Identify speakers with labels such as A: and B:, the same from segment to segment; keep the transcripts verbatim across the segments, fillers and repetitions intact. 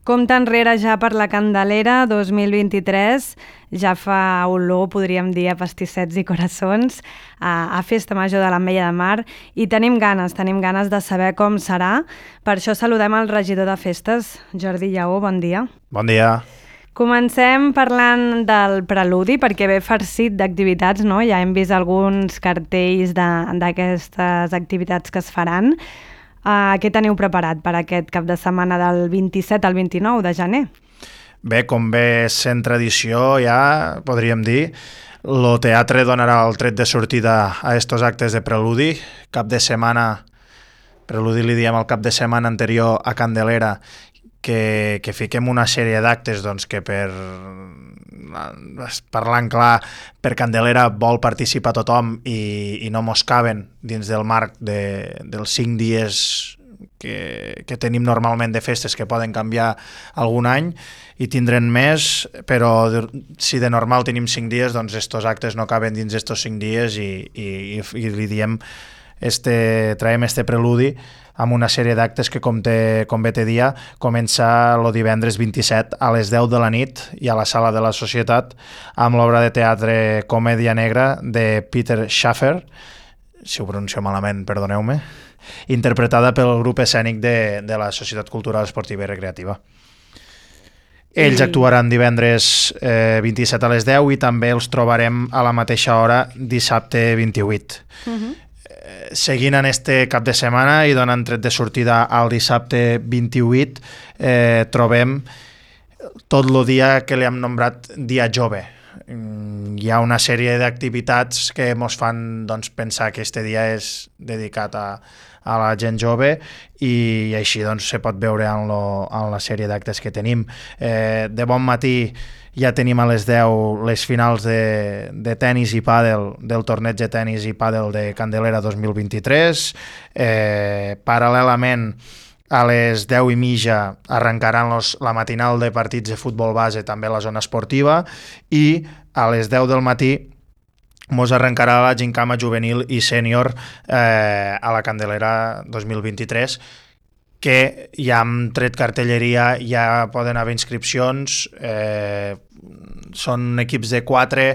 A: Compte enrere ja per la Candelera dos mil vint-i-tres, ja fa olor, podríem dir, a pastissets i coraçons, a, a Festa Major de l'Ametlla de Mar, i tenim ganes, tenim ganes de saber com serà. Per això saludem el regidor de Festes, Jordi Lleó, bon dia.
B: Bon dia.
A: Comencem parlant del preludi, perquè ve farcit d'activitats, no? Ja hem vist alguns cartells d'aquestes activitats que es faran. Uh, què teniu preparat per aquest cap de setmana del vint-i-set al vint-i-nou de gener?
B: Bé, com ve sent tradició, ja podríem dir, el teatre donarà el tret de sortida a estos actes de preludi. Cap de setmana, preludi li diem el cap de setmana anterior a Candelera, que, que fiquem una sèrie d'actes doncs, que per, parlant clar, per Candelera vol participar tothom i, i no mos caben dins del marc de, dels cinc dies que, que tenim normalment de festes, que poden canviar algun any i tindrem més, però si de normal tenim cinc dies, doncs estos actes no caben dins estos cinc dies i, i, i li diem, este, traiem este preludi amb una sèrie d'actes que, com, te, com bé te dia, comença el divendres vint-i-set a les deu de la nit i a la Sala de la Societat amb l'obra de teatre Comèdia Negra de Peter Schaffer, si ho pronuncio malament, perdoneu-me, interpretada pel grup escènic de, de la Societat Cultural Esportiva i Recreativa. Ells actuaran divendres eh, vint-i-set a les deu i també els trobarem a la mateixa hora dissabte vint-i-vuit. Uh-huh. Seguint en este cap de setmana i donant tret de sortida al dissabte vint-i-vuit, eh, trobem tot el dia que li hem nombrat Dia Jove. Hi ha una sèrie d'activitats que ens fan doncs, pensar que este dia és dedicat a, a la gent jove i així doncs, se pot veure en, lo, en la sèrie d'actes que tenim. Eh, de bon matí ja tenim a les deu les finals de, de tennis i pàdel, del torneig de tennis i pàdel de Candelera dos mil vint-i-tres. Eh, paral·lelament, a les deu i mitja arrencaran los, la matinal de partits de futbol base també a la zona esportiva i a les deu del matí mos arrencarà la gincama juvenil i sènior eh, a la Candelera dos mil vint-i-tres, que ja hem tret cartelleria, ja poden haver inscripcions, eh, són equips de quatre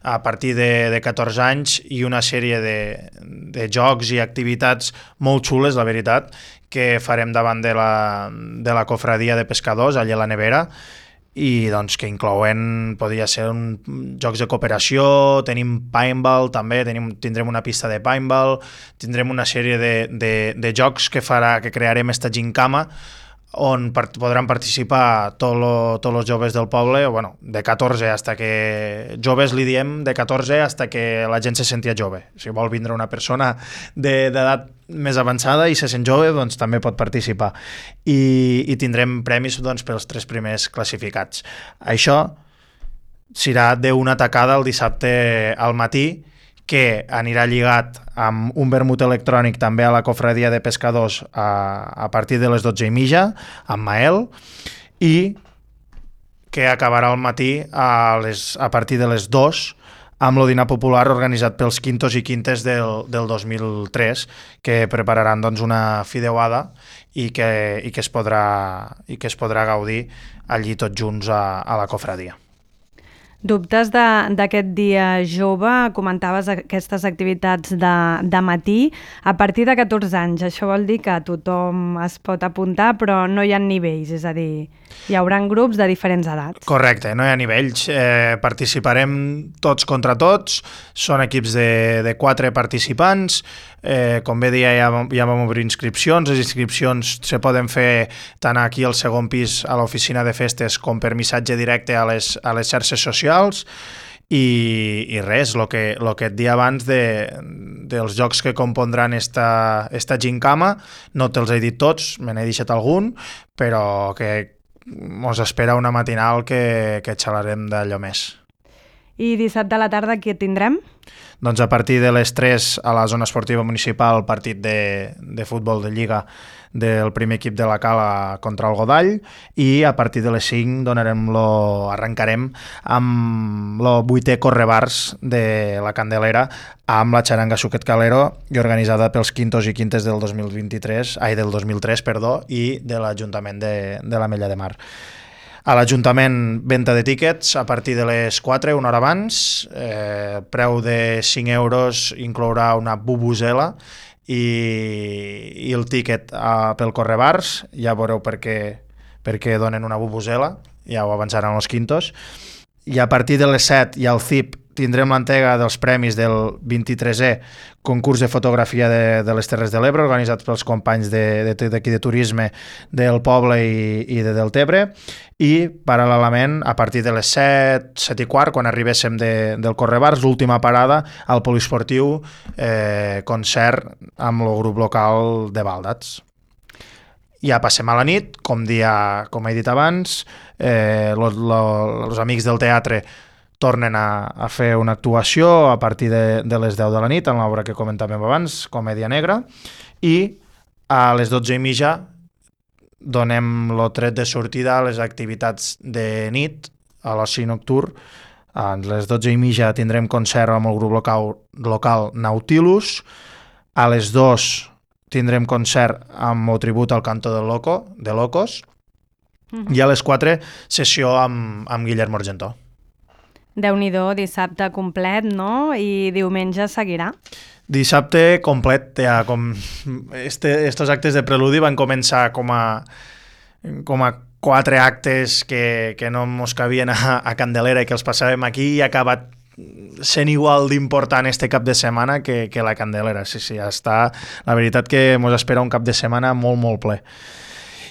B: a partir de, de catorze anys i una sèrie de, de jocs i activitats molt xules, la veritat, que farem davant de la, de la cofradia de pescadors, allà a la nevera, i doncs que inclouen, podria ser un, jocs de cooperació, tenim paintball també, tenim, tindrem una pista de paintball, tindrem una sèrie de, de, de jocs que farà que crearem esta gincama on part, podran participar tots lo, tots els joves del poble, bueno, de catorze hasta que... Joves li diem de catorze hasta que la gent se sentia jove. Si vol vindre una persona d'edat més avançada i se sent jove, doncs també pot participar. I, i tindrem premis doncs, pels tres primers classificats. Això serà d'una tacada el dissabte al matí, que anirà lligat amb un vermut electrònic també a la cofradia de pescadors a, a partir de les dotze i mitja, amb Mael, i que acabarà al matí a, les, a partir de les dues amb el dinar popular organitzat pels quintos i quintes del, del dos mil tres, que prepararan doncs, una fideuada i que, i, que es podrà, i que es podrà gaudir allí tots junts a, a la cofradia.
A: Dubtes d'aquest dia jove, comentaves aquestes activitats de, de matí a partir de catorze anys. Això vol dir que tothom es pot apuntar, però no hi ha nivells, és a dir, hi haurà grups de diferents edats.
B: Correcte, no hi ha nivells. Eh, participarem tots contra tots, són equips de, de quatre participants. Eh, com bé dia, ja, ja vam obrir inscripcions. Les inscripcions se poden fer tant aquí al segon pis a l'oficina de festes com per missatge directe a les, a les xarxes socials i, i res, el que, lo que et dia abans de, dels jocs que compondran esta, esta gincama, no te'ls he dit tots, me n'he deixat algun, però que ens espera una matinal que, que xalarem d'allò més.
A: I dissabte a la tarda què tindrem?
B: Doncs a partir de les tres a la zona esportiva municipal, partit de, de futbol de Lliga del primer equip de la Cala contra el Godall, i a partir de les cinc donarem lo, arrencarem amb el vuitè correbars de la Candelera amb la xaranga Suquet Calero, i organitzada pels quintos i quintes del dos mil vint-i-tres, ai, del dos mil tres, perdó, i de l'Ajuntament de, de l'Ametlla de Mar. A l'Ajuntament, venda de tíquets a partir de les quatre, una hora abans, eh, preu de cinc euros, inclourà una bubusela i, i el tíquet eh, pel correbars, ja veureu per què, per què donen una bubusela, ja ho avançaran els quintos, i a partir de les set i al C I P tindrem l'entrega dels premis del vint-i-tresè concurs de fotografia de, de les Terres de l'Ebre, organitzat pels companys de, de, d'aquí de turisme del poble i, i de Deltebre, i paral·lelament a partir de les set, set i quart, quan arribéssim de, del Correbars, l'última parada al poliesportiu, eh, concert amb el grup local de Baldats. Ja passem a la nit, com, dia, com he dit abans, eh, los, los amics del teatre tornen a, a fer una actuació a partir de, de les deu de la nit, en l'obra que comentàvem abans, Comèdia Negra, i a les dotze i mitja donem el tret de sortida a les activitats de nit, a l'oci nocturn. A les dotze i mitja tindrem concert amb el grup local, local Nautilus, a les dos tindrem concert amb el tribut al canto del Loco, de Locos, mm-hmm. i a les quatre sessió amb, amb Guillermo Argentó.
A: Déu-n'hi-do, dissabte complet, no? I diumenge seguirà?
B: Dissabte complet, ja, com este, estos actes de preludi van començar com a, com a quatre actes que, que no mos cabien a, a Candelera i que els passàvem aquí, i ha acabat sent igual d'important este cap de setmana que, que la Candelera. Sí, sí, ja està. La veritat que mos espera un cap de setmana molt, molt ple.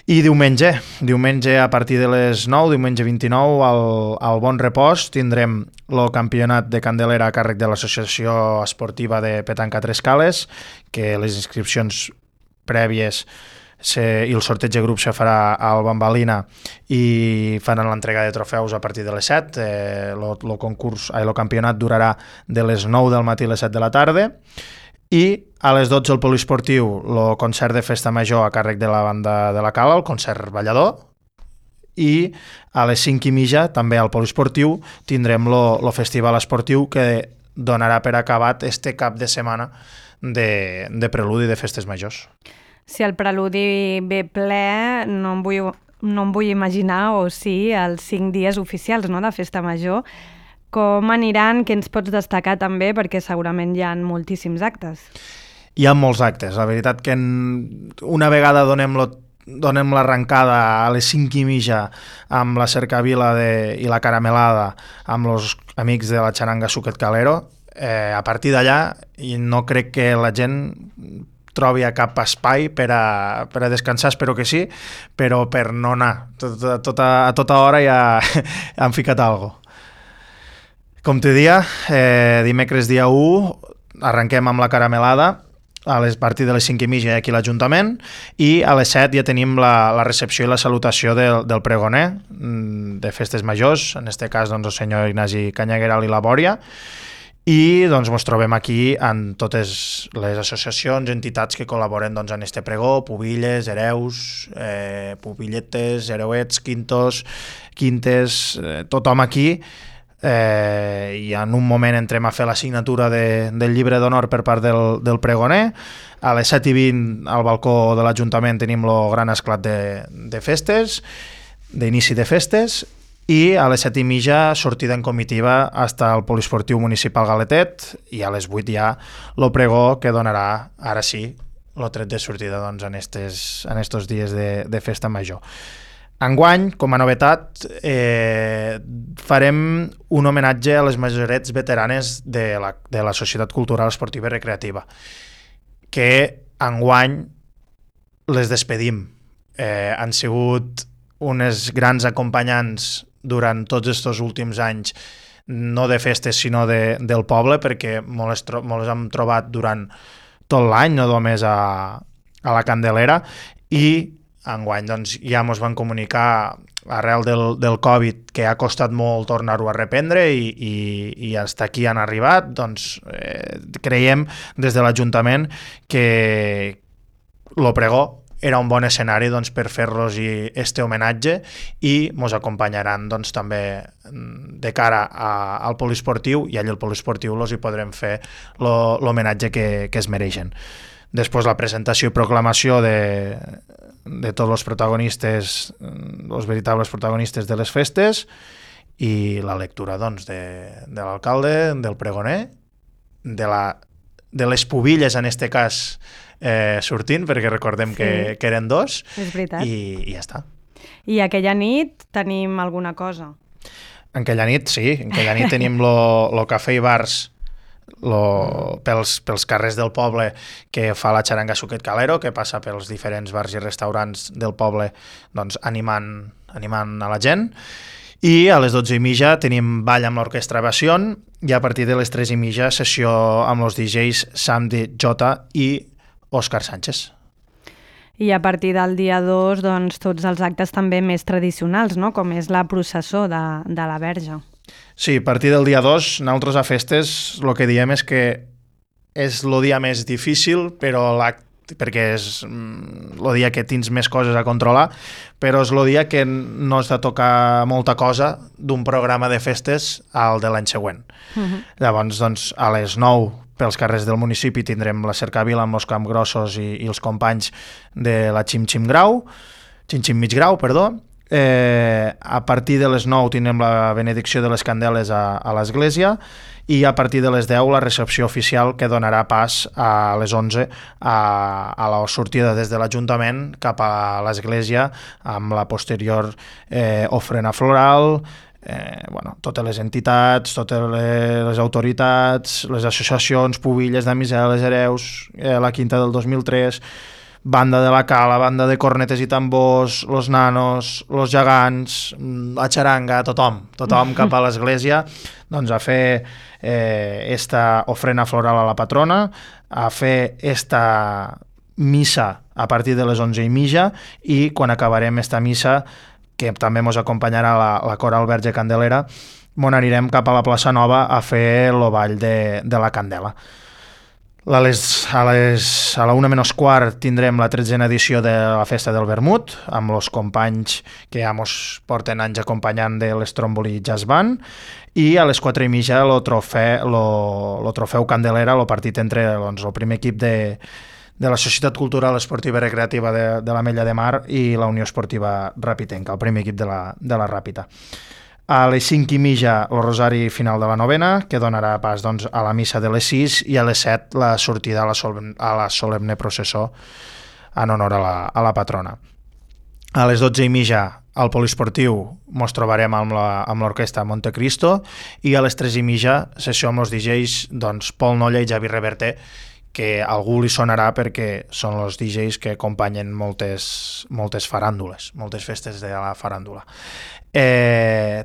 B: I diumenge, diumenge a partir de les nou, diumenge vint-i-nou, al, al Bon Repòs, tindrem el campionat de Candelera a càrrec de l'Associació Esportiva de Petanca Tres Cales, que les inscripcions prèvies se, i el sorteig de grup se farà al Bambalina i faran l'entrega de trofeus a partir de les set. Eh, lo, lo concurs, eh, lo campionat durarà de les nou del matí a les set de la tarda. I a les dotze el poliesportiu, el concert de festa major a càrrec de la banda de la Cala, el concert ballador, i a les cinc i mitja també al poliesportiu tindrem el festival esportiu que donarà per acabat este cap de setmana de, de preludi de festes majors.
A: Si el preludi ve ple, no em vull, no em vull imaginar, o sí, els cinc dies oficials, no?, de festa major. Com aniran? Què ens pots destacar també? Perquè segurament hi ha moltíssims actes.
B: Hi ha molts actes. La veritat que en... una vegada donem, lo... donem l'arrencada a les cinc i mitja amb la cercavila de... i la caramelada amb els amics de la xaranga Suquet Calero, eh, a partir d'allà no crec que la gent trobi a cap espai per a, per a descansar, espero que sí, però per no anar. Tot, tot, a, a tota hora ja han ficat alguna cosa. Com te dia, eh, dimecres dia u, arrenquem amb la caramelada a les partir de les cinc i mitja aquí a l'Ajuntament, i a les set ja tenim la, la recepció i la salutació del, del pregoner de festes majors, en este cas doncs, el senyor Ignasi Canyagueral i la Bòria, i doncs ens trobem aquí en totes les associacions, entitats que col·laboren doncs, en este pregó, pubilles, hereus, eh, pupilletes, hereuets, quintos, quintes, eh, tothom aquí. Eh, i en un moment entrem a fer la signatura de, del llibre d'honor per part del, del pregoner. A les set i vint al balcó de l'Ajuntament tenim el gran esclat de, de festes, d'inici de festes, i a les set i mitja sortida en comitiva fins al poliesportiu municipal Galetet, i a les vuit ja el pregó que donarà, ara sí, el tret de sortida doncs, en, estes, en estos dies de, de festa major. Enguany, com a novetat, eh, farem un homenatge a les majorets veteranes de la, de la Societat Cultural Esportiva i Recreativa, que enguany les despedim. Eh, han sigut unes grans acompanyants durant tots aquests últims anys, no de festes sinó de, del poble, perquè molt les, tro- molt les hem trobat durant tot l'any, no només a, a la Candelera, i enguany doncs, ja ens van comunicar arrel del, del Covid, que ha costat molt tornar-ho a reprendre i, i, i fins aquí han arribat, doncs eh, creiem des de l'Ajuntament que lo pregó era un bon escenari doncs, per fer-los este homenatge i ens acompanyaran doncs, també de cara a, al poliesportiu i allà al poliesportiu els hi podrem fer l'homenatge que, que es mereixen. Després la presentació i proclamació de, de tots els protagonistes, els veritables protagonistes de les festes i la lectura doncs, de, de l'alcalde, del pregoner, de, la, de les pubilles en este cas eh, sortint, perquè recordem sí. que, que eren dos,
A: és veritat.
B: I, i ja està.
A: I aquella nit tenim alguna cosa?
B: En aquella nit, sí, en aquella nit tenim lo, lo cafè i bars lo, pels, pels carrers del poble que fa la xaranga Suquet Calero, que passa pels diferents bars i restaurants del poble doncs, animant, animant a la gent. I a les dotze i mitja tenim ball amb l'orquestra Bación i a partir de les tres i mitja sessió amb els D Js Samdi Jota i Òscar Sánchez.
A: I a partir del dia dos, doncs, tots els actes també més tradicionals, no? Com és la processó de, de la Verge.
B: Sí, a partir del dia dos, nosaltres a festes el que diem és que és el dia més difícil, però l'acte perquè és el dia que tens més coses a controlar, però és el dia que no has de tocar molta cosa d'un programa de festes al de l'any següent. Uh-huh. Llavors, doncs, a les nou, pels carrers del municipi, tindrem la cercavila amb els Campgrossos i, i els companys de la Xim Xim Grau, Xim Xim Mig Grau, perdó. Eh, a partir de les nou tindrem la benedicció de les candeles a, a l'església i a partir de les deu la recepció oficial que donarà pas a les onze a, a la sortida des de l'Ajuntament cap a l'església amb la posterior eh, ofrena floral, eh, bueno, totes les entitats, totes les, les autoritats, les associacions, pubilles, damiseles, hereus, eh, la quinta del dos mil tres, banda de la cala, banda de cornetes i tambors, los nanos, los gegants, la xaranga, tothom, tothom cap a l'església doncs a fer eh, esta ofrena floral a la patrona, a fer esta missa a partir de les onze i mitja i quan acabarem esta missa, que també ens acompanyarà la, la Coral Verge Candelera, on anirem cap a la plaça Nova a fer el ball de, de la Candela. A, les, a, les, a la una menys quart tindrem la tretzena edició de la Festa del Vermut, amb els companys que ja ens porten anys acompanyant de l'Stromboli Jazz Band, i a les quatre i mitja el trofeu, lo, lo trofeu Candelera, el partit entre doncs, el primer equip de, de la Societat Cultural Esportiva i Recreativa de, de l'Ametlla de Mar i la Unió Esportiva Rapitenca, el primer equip de la, de la Ràpita. A les cinc i mitja el rosari final de la novena, que donarà pas doncs, a la missa de les sis, i a les set la sortida a la, solemne, a la solemne processó en honor a la, a la patrona. A les dotze i mitja al poliesportiu ens trobarem amb l'orquestra Montecristo i a les tres i mitja sessió amb els D Js doncs, Pol Nolla i Javi Reverter, que a algú li sonarà perquè són els D Js que acompanyen moltes, moltes faràndules, moltes festes de la faràndula. Eh,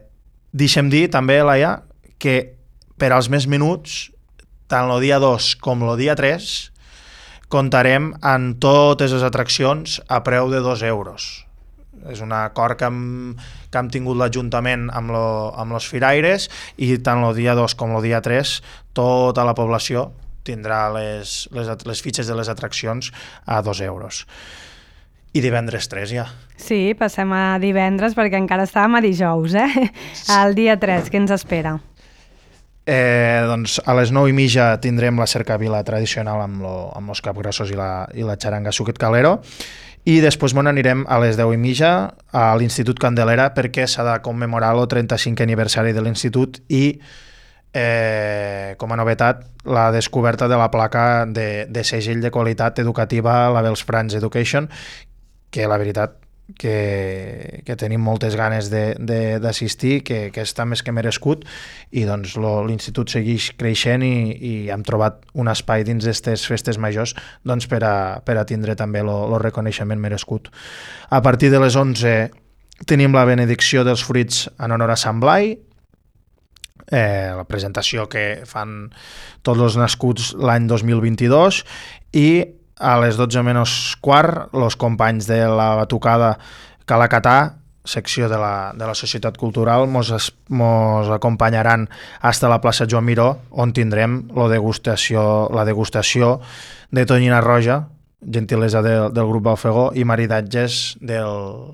B: deixem dir també, Laia, que per als més minuts, tant el dia dos com el dia tres, comptarem amb totes les atraccions a preu de dos euros. És un acord que hem, que hem tingut l'Ajuntament amb, lo, amb els firaires i tant el dia dos com el dia tres tota la població tindrà les, les, les fitxes de les atraccions a dos euros. I divendres tres ja.
A: Sí, passem a divendres perquè encara estàvem a dijous, eh? El dia tres, què ens espera?
B: Eh, doncs a les nou i mitja tindrem la cercavila tradicional amb, lo, amb els capgrossos i la, i la xaranga Suquet Calero i després bon, anirem a les deu i mitja a l'Institut Candelera perquè s'ha de commemorar el trenta-cinquè aniversari de l'Institut i eh, com a novetat la descoberta de la placa de, de segell de qualitat educativa Labels France Education, que la veritat que, que tenim moltes ganes d'assistir, que, que està més que merescut i doncs l'institut segueix creixent i, i hem trobat un espai dins d'aquestes festes majors doncs, per, a, per a tindre també el reconeixement merescut. A partir de les onze tenim la benedicció dels fruits en honor a Sant Blai, eh, la presentació que fan tots els nascuts l'any dos mil vint-i-dos i a les dotze menys quart, els companys de la batucada Calacatà secció de la, de la Societat Cultural mos, es, mos acompanyaran fins a la plaça Joan Miró, on tindrem la degustació, la degustació de tonyina roja, gentilesa de, del grup Balfegó, i maridatges del,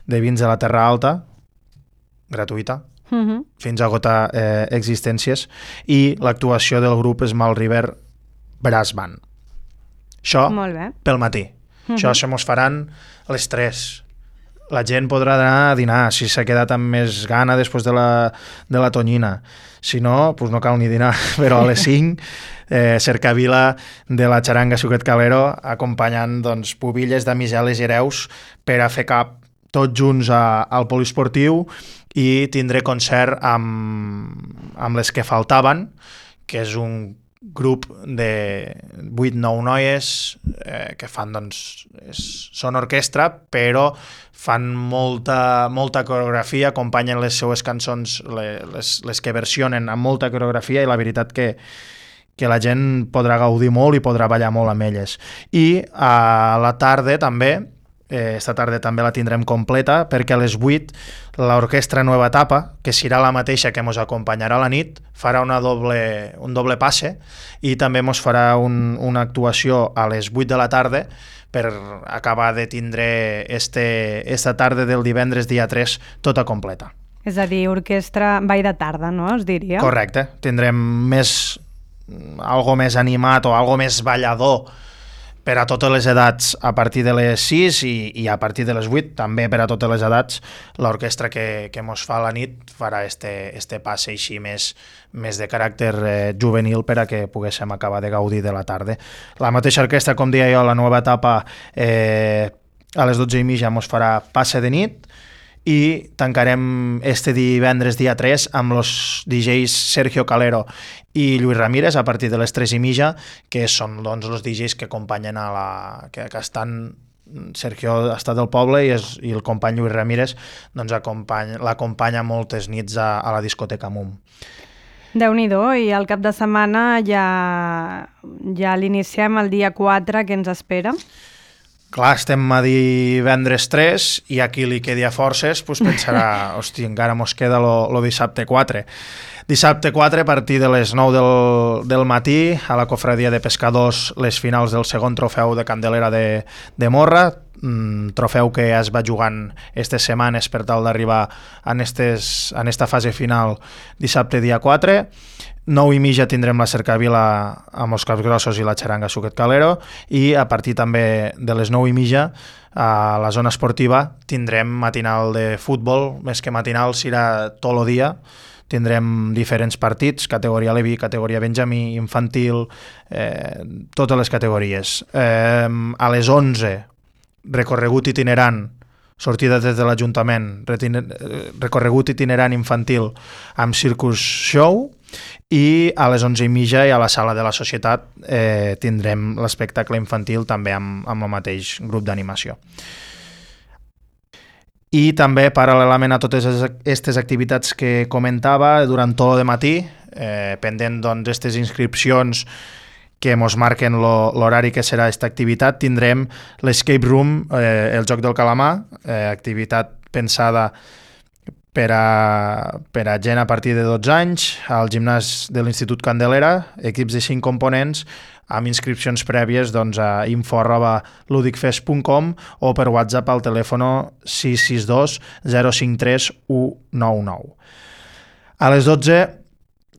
B: de vins de la Terra Alta, gratuïta, uh-huh. fins a agotar eh, existències, i l'actuació del grup Small River Brass Band. Això pel matí. Uh-huh. Això se mos faran a les tres. La gent podrà anar a dinar, si s'ha quedat amb més gana després de la, de la tonyina. Si no, doncs no cal ni dinar, però a les cinc, eh, cercavila de la xaranga Suquet Calero, acompanyant doncs, pubilles de Miseles i Hereus per a fer cap tots junts a, al poliesportiu, i tindré concert amb, amb les que faltaven, que és un grup de vuit nou noies eh, que fan, doncs, és, són orquestra, però fan molta, molta coreografia, acompanyen les seues cançons, les, les que versionen amb molta coreografia, i la veritat que, que la gent podrà gaudir molt i podrà ballar molt amb elles. I a la tarda també, eh, esta tarda també la tindrem completa, perquè a les vuit l'orquestra Nueva Etapa, que serà la mateixa que ens acompanyarà a la nit, farà una doble, un doble passe, i també ens farà un, una actuació a les vuit de la tarda per acabar de tindre este, esta tarda del divendres dia tres tota completa.
A: És a dir, orquestra ball de tarda, no? Es diria.
B: Correcte. Tindrem més, algo més animat o algo més ballador per a totes les edats a partir de les sis, i, i a partir de les vuit també per a totes les edats. L'orquestra que, que mos fa la nit farà este, este passe així més, més de caràcter eh, juvenil per a que poguéssim acabar de gaudir de la tarda. La mateixa orquestra, com deia jo, la Nova Etapa, eh, a les dotze i mitja mos farà passe de nit, i tancarem este divendres dia tres amb els D Js Sergio Calero i Lluís Ramírez a partir de les tres i mitja, que són, doncs, els D Js que acompanyen a la... que, que estan... Sergio està del poble, i, és, i el company Lluís Ramírez doncs, l'acompanya moltes nits a, a la discoteca Mum.
A: Déu-n'hi-do, i el cap de setmana ja, ja l'iniciem el dia quatre, que ens espera?
B: Clar, estem a divendres tres, i a qui li quedi a forces doncs pensarà, hosti, encara mos queda lo, lo dissabte quatre. Dissabte quatre, a partir de les nou del, del matí, a la Cofradia de Pescadors, les finals del segon trofeu de Candelera de, de Morra, mm, trofeu que es va jugant aquestes setmanes per tal d'arribar en, estes, en esta fase final dissabte dia quatre. Nou i mitja tindrem la cercavila amb els Capgrossos i la xaranga Suquet Calero, i a partir també de les nou i mitja a la zona esportiva tindrem matinal de futbol, més que matinal serà tot el dia. Tindrem diferents partits, categoria Levi, categoria Benjamí, infantil, eh, totes les categories. Eh, a les onze, recorregut itinerant, sortida des de l'Ajuntament, recorregut itinerant infantil amb Circus Show, i a les onze i mitja i a la sala de la Societat eh, tindrem l'espectacle infantil també amb, amb el mateix grup d'animació. I també, paral·lelament a totes aquestes activitats que comentava, durant tot el matí, eh, pendent d'aquestes doncs, inscripcions que ens marquen l'horari que serà aquesta activitat, tindrem l'Escape Room, eh, el joc del calamar, eh, activitat pensada per a, per a gent a partir de dotze anys, al gimnàs de l'Institut Candelera, equips de cinc components, amb inscripcions prèvies doncs, a info arroba ludicfest punt com o per WhatsApp al telèfon sis sis dos zero cinc tres u nou nou. A les dotze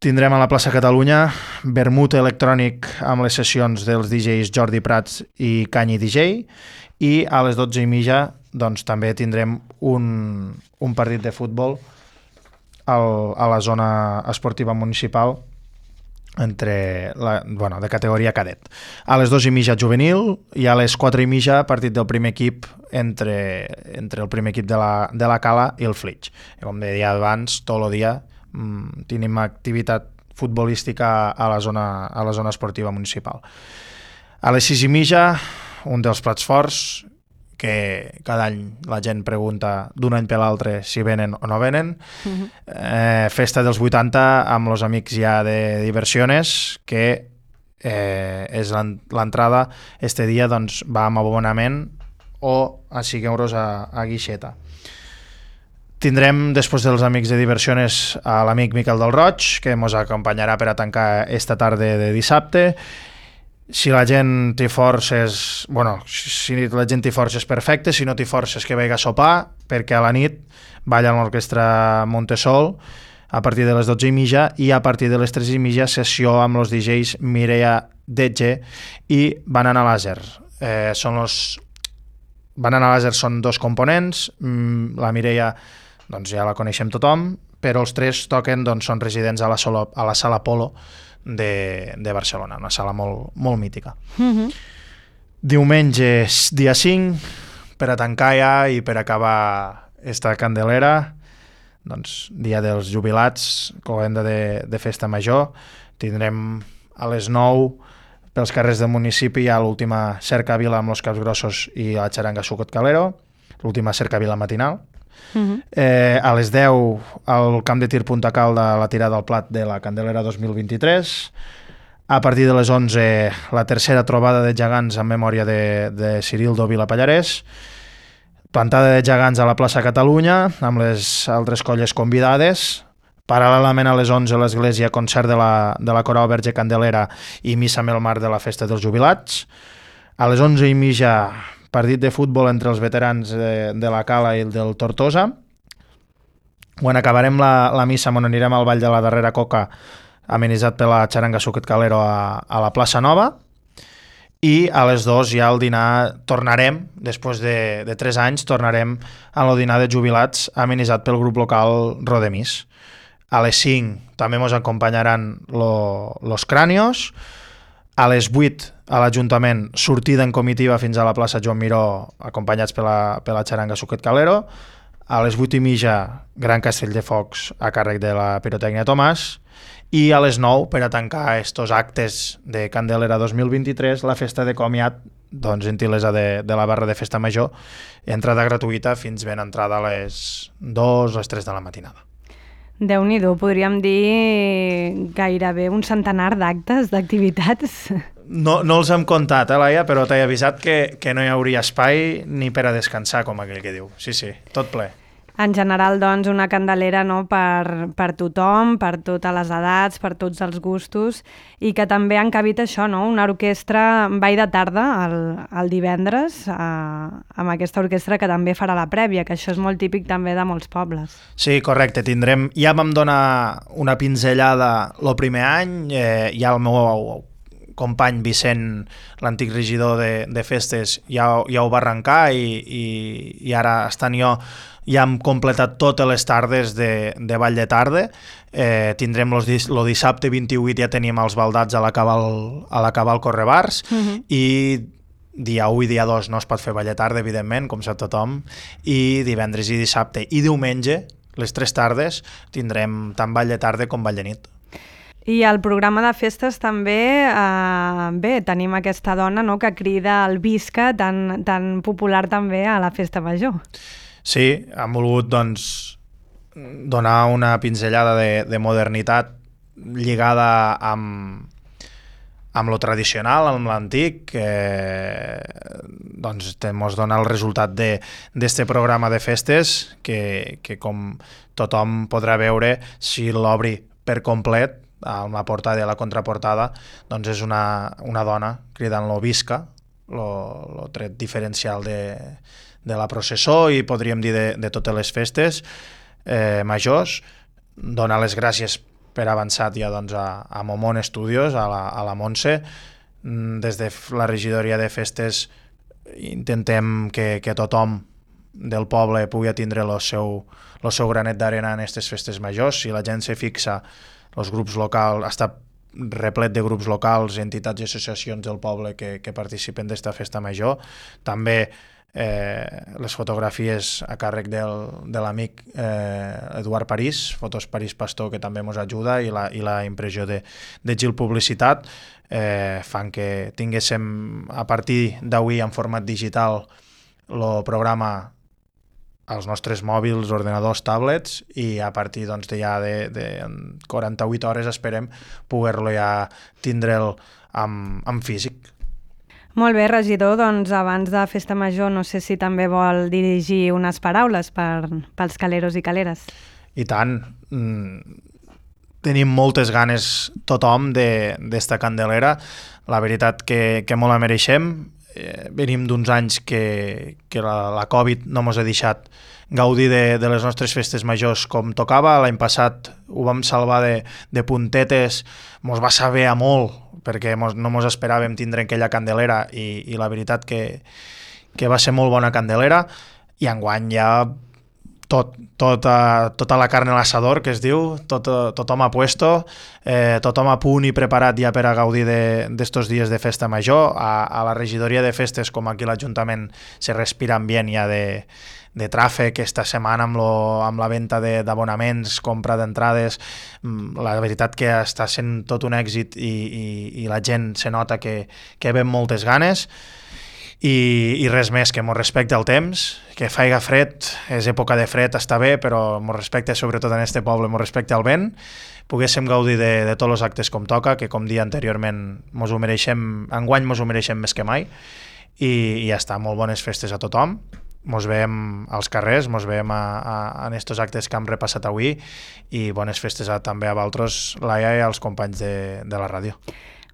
B: tindrem a la plaça Catalunya vermut electrònic amb les sessions dels D Js Jordi Prats i Canyi D J, i a les dotze i mitja doncs, també tindrem un, un partit de futbol al, a la zona esportiva municipal entre la, bueno, de categoria cadet. A les dos i mitja juvenil, i a les quatre i mitja partit del primer equip entre, entre el primer equip de la, de la Cala i el Flitx. Com deia abans, tot el dia mmm, tenim activitat futbolística a la, zona, a la zona esportiva municipal. A les sis i mitja, un dels plats forts, que cada any la gent pregunta d'un any per l'altre si venen o no venen. Uh-huh. eh, festa dels vuitanta amb els amics ja de Diversiones, que eh, és l'entrada este dia doncs, va amb abonament o a cinc euros a, a guixeta. Tindrem, després dels amics de Diversiones, a l'amic Miquel del Roig, que ens acompanyarà per a tancar esta tarda de dissabte. Si la gent té forces, bueno, si la gent té forces, perfecte, si no té forces, que vagi a sopar, perquè a la nit balla amb l'orquestra Montesol a partir de les dotze i mitja i a partir de les tres i mitja sessió amb els D Js Mireia Detge i Banana Laser. Eh, són los... Banana Laser són dos components, la Mireia doncs ja la coneixem tothom, però els tres toquen, doncs, són residents a la, solo, a la Sala Polo de, de Barcelona, una sala molt, molt mítica.
A: Mm-hmm.
B: Diumenge, dia cinc, per a tancar ja i per acabar esta candelera, doncs, dia dels jubilats, cloenda de, de festa major, tindrem a les nou pels carrers del municipi hi ha l'última cercavila amb els caps grossos i la xaranga Sucot Calero, l'última cercavila matinal. Uh-huh. Eh, a les deu al camp de tir Punta Calda la tirada al plat de la Candelera dos mil vint-i-tres. A partir de les onze la tercera trobada de gegants en memòria de, de Cirildo Vila Pallarès. Plantada de gegants a la plaça Catalunya amb les altres colles convidades. Paral·lelament a les onze l'església concert de la, de la Coral Verge Candelera i missa amb el mar de la festa dels jubilats. A les onze i mitja partit de futbol entre els veterans de, de la Cala i del Tortosa. Quan acabarem la, la missa on anirem al Ball de la Darrera Coca amenitzat per la xaranga Sucet Calero a, a la plaça Nova. I a les dues ja al dinar tornarem, després de, de tres anys, tornarem a el dinar de jubilats amenitzat pel grup local Rodemís. A les cinc també ens acompanyaran lo, los Cranios. A les vuit a l'Ajuntament sortida en comitiva fins a la plaça Joan Miró acompanyats per la, per la xaranga Sucet Calero. A les vuit i mitja Gran Castell de Focs a càrrec de la Pirotècnia Tomàs. I a les nou, per a tancar estos actes de Candelera dos mil vint-i-tres, la festa de comiat, doncs, gentilesa de, de la barra de festa major, entrada gratuïta fins ben entrada a les dues, les tres de la matinada.
A: Déu-n'hi-do, podríem dir gairebé un centenar d'actes, d'activitats.
B: No, no els hem comptat, eh, Laia, però t'he avisat que, que no hi hauria espai ni per a descansar, com aquell que diu. Sí, sí, tot ple.
A: En general, doncs, una candelera, no, per, per tothom, per totes les edats, per tots els gustos, i que també han cabit això, no? Una orquestra ball de tarda el, el divendres, eh, amb aquesta orquestra que també farà la prèvia, que això és molt típic també de molts pobles.
B: Sí, correcte, tindrem... Ja vam donar una pinzellada el primer any, eh, ja el meu company Vicent, l'antic regidor de, de festes, ja, ja ho va arrencar i, i, i ara estant jo ja hem completat totes les tardes de, de ball de tarda. Eh, tindrem el dissabte vint-i-vuit, ja tenim els baldats a l'acabar el Correbars, uh-huh. i dia u i dia dos no es pot fer ball de tarda, evidentment, com sap tothom, i divendres i dissabte i diumenge, les tres tardes, tindrem tant ball de tarda com ball de nit.
A: I al programa de festes també, eh, bé, tenim aquesta dona, no?, que crida el Visca, tan, tan popular també a la festa major.
B: Sí, hem volgut, doncs, donar una pinzellada de, de modernitat lligada amb, amb lo tradicional, amb l'antic, que doncs, ens dona el resultat d'este programa de festes que, que com tothom podrà veure, si l'obri per complet, a la portada i a la contraportada, doncs és una, una dona cridant-lo Visca, el tret diferencial de, de la processó i podríem dir de, de totes les festes eh, majors. Donar les gràcies per avançat ja doncs, a, a Momon Studios, a la, a la Montse. Des de la regidoria de festes intentem que, que tothom del poble pugui tindre el seu, el seu granet d'arena en aquestes festes majors. Si la gent se fixa, els grups locals, està replet de grups locals, entitats i associacions del poble que, que participen d'esta festa major. També eh, les fotografies a càrrec del, de l'amic eh, Eduard París, Fotos París Pastor, que també ens ajuda, i la, i la impressió de, de Gil Publicitat, eh, fan que tinguéssim a partir d'avui en format digital el programa als nostres mòbils, ordenadors, tablets, i a partir doncs, de ja de, de quaranta-vuit hores esperem poder-lo ja tindre'l amb, amb físic.
A: Molt bé, regidor, doncs abans de Festa Major no sé si també vol dirigir unes paraules per, pels caleros i caleres.
B: I tant. Mm, tenim moltes ganes tothom d'esta Candelera. La veritat que, que molt la mereixem. Eh, venim d'uns anys que, que la, la Covid no ens ha deixat gaudir de, de les nostres festes majors com tocava. L'any passat ho vam salvar de, de puntetes, mos va saber a molt, perquè mos, no mos esperàvem tindre aquella Candelera i, i la veritat que, que va ser molt bona Candelera, i enguany ja tot, tota, tota la carn a l'assador, que es diu, tot, tothom a puesto, eh, tothom a punt i preparat ja per a gaudir d'estos de, dies de festa major. A, a la regidoria de festes, com aquí a l'Ajuntament, se respira ambient ja de, de tràfic esta setmana amb, lo, amb la venda d'abonaments, compra d'entrades. La veritat que està sent tot un èxit i, i, i la gent se nota que, que ven moltes ganes. I, i res més, que mos respecte el temps, que faiga fred, és època de fred, està bé, però mos respecte sobretot en este poble, mos respecte el vent, poguéssim gaudir de, de tots els actes com toca, que com dia anteriorment mos ho mereixem, enguany mos ho mereixem més que mai, i, i ja està, molt bones festes a tothom, mos veiem als carrers, mos veiem a, a, en estos actes que hem repassat avui, i bones festes a, també a vosaltres, Laia, i als companys de, de la ràdio.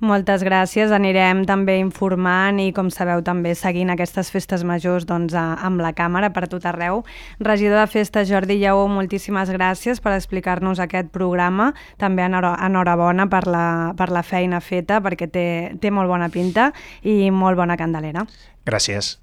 A: Moltes gràcies, anirem també informant i, com sabeu, també seguint aquestes festes majors doncs, a, amb la càmera per tot arreu. Regidor de Festes, Jordi Lleó, moltíssimes gràcies per explicar-nos aquest programa. També enhorabona per la, per la feina feta, perquè té, té molt bona pinta i molt bona Candelera.
B: Gràcies.